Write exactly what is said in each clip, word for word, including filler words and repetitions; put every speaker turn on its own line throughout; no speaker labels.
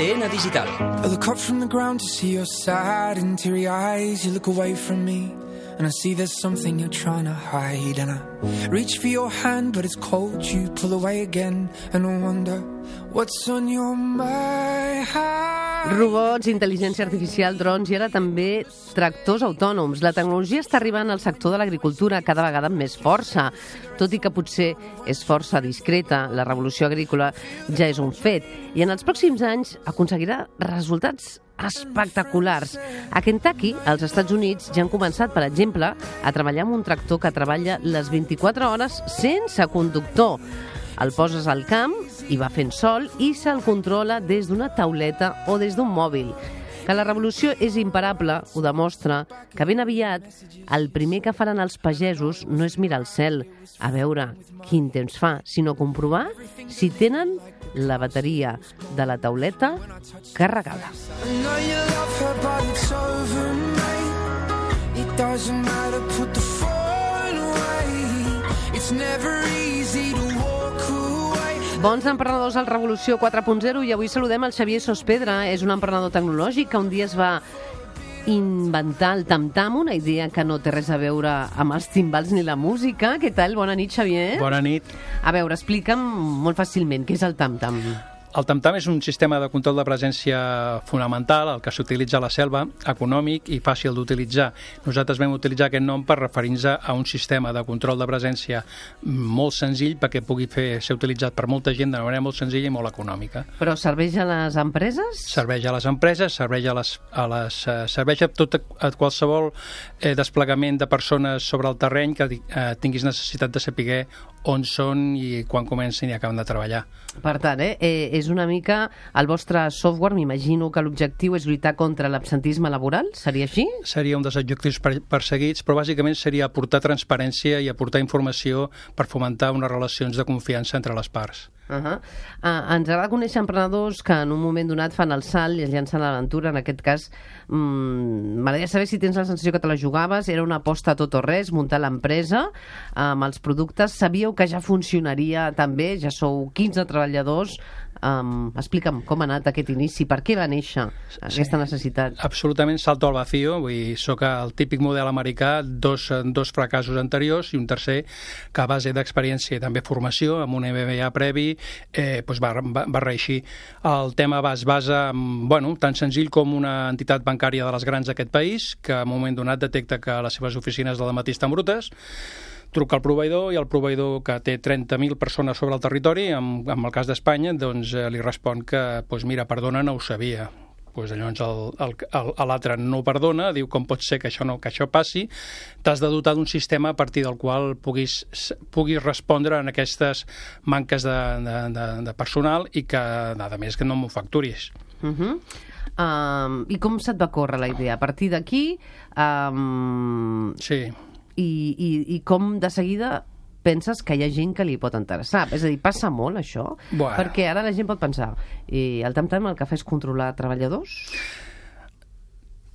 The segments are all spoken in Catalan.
T N Digital.
I look up from the ground to see your sad and teary eyes. You look away from me and I see there's something you're trying to hide. And I reach for your hand but it's cold. You pull away again and I wonder what's on your mind.
Robots, intel·ligència artificial, drons i ara també tractors autònoms. La tecnologia està arribant al sector de l'agricultura cada vegada amb més força. Tot i que potser és força discreta, la revolució agrícola ja és un fet i en els pròxims anys aconseguirà resultats espectaculars. A Kentucky, als Estats Units, ja han començat, per exemple, a treballar amb un tractor que treballa les vint-i-quatre hores sense conductor. El poses al camp i va fent sol i se'l controla des d'una tauleta o des d'un mòbil. Que la revolució és imparable ho demostra que ben aviat el primer que faran els pagesos no és mirar al cel a veure quin temps fa, sinó comprovar si tenen la bateria de la tauleta carregada. Bons emprenedors al Revolució quatre punt zero i avui saludem el Xavier Sospedra. És un emprenedor tecnològic que un dia es va inventar el tam-tam, una idea que no té res a veure amb els timbals ni la música. Què tal? Bona nit, Xavier.
Bona nit.
A veure, explica'm molt fàcilment què és el tam-tam.
El tam-tam és un sistema de control de presència fonamental, el que s'utilitza a la selva, econòmic i fàcil d'utilitzar. Nosaltres vam utilitzar aquest nom per referir-nos a un sistema de control de presència molt senzill perquè pugui fer, ser utilitzat per molta gent de manera molt senzilla i molt econòmica.
Però serveix a les empreses?
Serveix a les empreses, serveix a, les, a, les, uh, serveix a, tot, a qualsevol eh, desplegament de persones sobre el terreny que eh, tinguis necessitat de saber on són i quan comencen i acaben de treballar.
Per tant, eh, eh, és una mica el vostre software, m'imagino que l'objectiu és lluitar contra l'absentisme laboral, seria així?
Seria un dels objectius perseguits, però bàsicament seria aportar transparència i aportar informació per fomentar unes relacions de confiança entre les parts.
Uh -huh. uh, ens agrada conèixer emprenedors que en un moment donat fan el salt i es llancen a l'aventura. En aquest cas, mm, m'agradaria saber si tens la sensació que te la jugaves, era una aposta a tot o res, muntar l'empresa amb els productes. Sabíeu que ja funcionaria també, ja sou quinze treballadors. Um, explica'm com ha anat aquest inici, per què va néixer aquesta necessitat?
Sí, absolutament salto al vacío, vull dir, soc el típic model americà, dos, dos fracassos anteriors i un tercer que a base d'experiència i també formació, amb un M B A previ, eh, doncs va, va, va reeixir. El tema va, es basa en, bueno, tan senzill com una entitat bancària de les grans d'aquest país, que en un moment donat detecta que les seves oficines del matí estan brutes, truca al proveïdor i el proveïdor, que té trenta mil persones sobre el territori, en, en el cas d'Espanya, doncs eh, li respon que, doncs mira, perdona, no ho sabia. Pues llavors l'altre no ho perdona, diu com pot ser que això, no, que això passi, t'has de dotar d'un sistema a partir del qual puguis, puguis respondre en aquestes manques de, de, de, de personal i que, a més, que no m'ho facturis.
Uh -huh. um, I com se't va córrer la idea? A partir d'aquí... Um...
Sí.
I, i, i com de seguida penses que hi ha gent que li pot interessar? És a dir, passa molt això?
Bueno.
Perquè ara la gent pot pensar, i el tam-tam el que fa és controlar treballadors?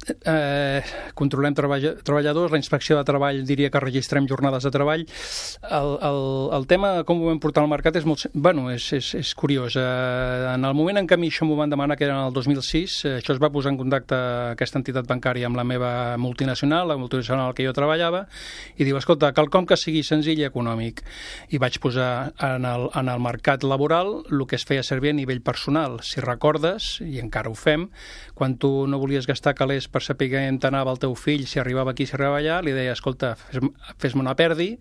Eh, controlem treball, treballadors, la inspecció de treball diria que registrem jornades de treball. El, el, el tema, com ho vam portar al mercat, és molt, bueno, és, és, és curiós. Eh, en el moment en què a mi això m'ho van demanar, que era en el dos mil sis, eh, això es va posar en contacte aquesta entitat bancària amb la meva multinacional, la multinacional en què jo treballava, i diu, escolta, quelcom que sigui senzill i econòmic. I vaig posar en el, en el mercat laboral el que es feia servir a nivell personal. Si recordes, i encara ho fem, quan tu no volies gastar calés per saber on anava el teu fill, si arribava aquí, si arribava allà, li deia, escolta, fes-me fes una perdi,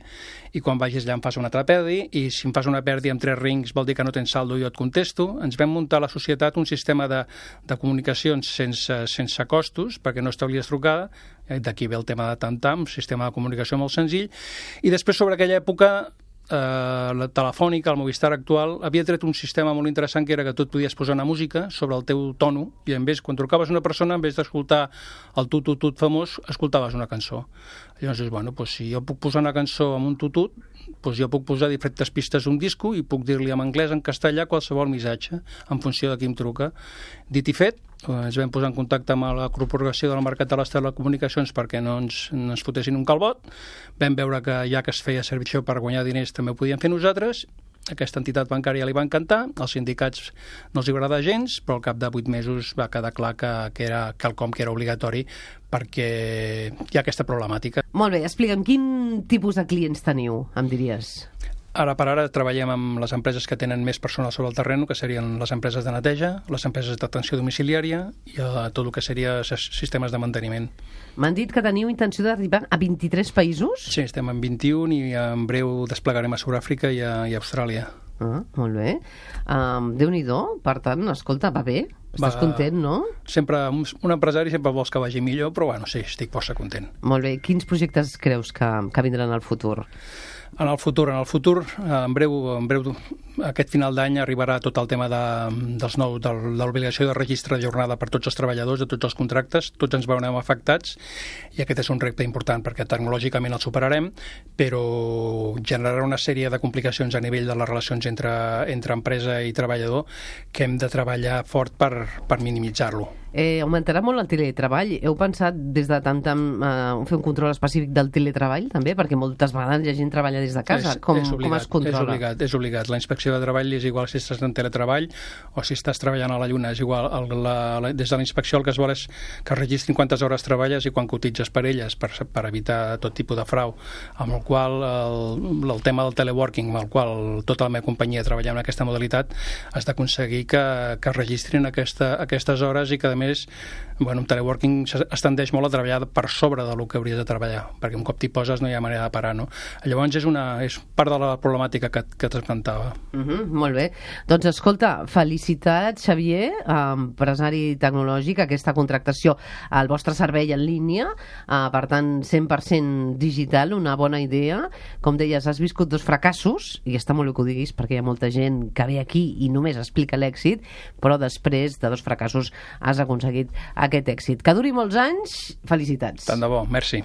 i quan vagis allà em fas una altra perdi, i si em fas una perdi amb tres rings vol dir que no tens saldo i jo et contesto. Ens vam muntar a la societat un sistema de, de comunicacions sense, sense costos, perquè no establies trucada, d'aquí ve el tema de tam-tam, un sistema de comunicació molt senzill, i després sobre aquella època eh, la telefònica, el Movistar actual, havia tret un sistema molt interessant que era que tu et podies posar una música sobre el teu tono i en vez, quan trucaves una persona, en vez d'escoltar el tutut famós, escoltaves una cançó. Llavors, bueno, doncs, si jo puc posar una cançó amb un tutut, doncs jo puc posar diferents pistes d'un disco i puc dir-li en anglès, en castellà, qualsevol missatge, en funció de qui em truca. Dit i fet, ens vam posar en contacte amb la corporació del mercat de les telecomunicacions perquè no ens, no ens fotessin un calbot. Vam veure que ja que es feia servir això per guanyar diners també ho podíem fer nosaltres aquesta entitat bancària li va encantar, als sindicats no els agrada gens, però al cap de vuit mesos va quedar clar que, que era quelcom que era obligatori perquè hi ha aquesta problemàtica.
Molt bé, explica'm, quin tipus de clients teniu, em diries?
Ara per ara treballem amb les empreses que tenen més personal sobre el terreny, que serien les empreses de neteja, les empreses d'atenció domiciliària i uh, tot el que seria sistemes de manteniment.
M'han dit que teniu intenció d'arribar a vint-i-tres països?
Sí, estem en vint-i-un i en breu desplegarem a Sud-àfrica i a, i a Austràlia.
Ah, molt bé. Um, Déu-n'hi-do, per tant, escolta, va bé? Estàs va, content, no?
Sempre, un, un empresari sempre vols que vagi millor, però bueno, sí, estic força content.
Molt bé. Quins projectes creus que, que vindran al futur?
En el futur, en el futur, en breu, en breu aquest final d'any arribarà tot el tema de, dels nous, de, de l'obligació de registre de jornada per tots els treballadors, de tots els contractes, tots ens veurem afectats, i aquest és un repte important perquè tecnològicament el superarem, però generarà una sèrie de complicacions a nivell de les relacions entre, entre empresa i treballador que hem de treballar fort per, per minimitzar-lo.
Eh, augmentarà molt el teletreball. Heu pensat des de tant en uh, fer un control específic del teletreball, també? Perquè moltes vegades la gent treballa des de casa.
És,
com,
és obligat,
com es controla?
És obligat, és obligat. La inspecció de treball és igual si estàs en teletreball o si estàs treballant a la lluna. És igual. El, la, la, des de la inspecció el que es vol és que registrin quantes hores treballes i quan cotitzes per elles, per, per evitar tot tipus de frau. Amb el qual el, el tema del teleworking, amb el qual tota la meva companyia treballa en aquesta modalitat, has d'aconseguir que, que registrin aquesta, aquestes hores i que, a més, bueno, en teleworking es tendeix molt a treballar per sobre del que hauries de treballar, perquè un cop t'hi poses no hi ha manera de parar, no? Llavors és, una, és part de la problemàtica que, que t'esmentava.
Uh -huh, molt bé. Doncs escolta, felicitats, Xavier, empresari tecnològic, aquesta contractació al vostre servei en línia, uh, per tant, cent per cent digital, una bona idea. Com deies, has viscut dos fracassos, i està molt bé que ho diguis, perquè hi ha molta gent que ve aquí i només explica l'èxit, però després de dos fracassos has aconseguit aquest èxit. Que duri molts anys, felicitats.
Tant de bo, merci.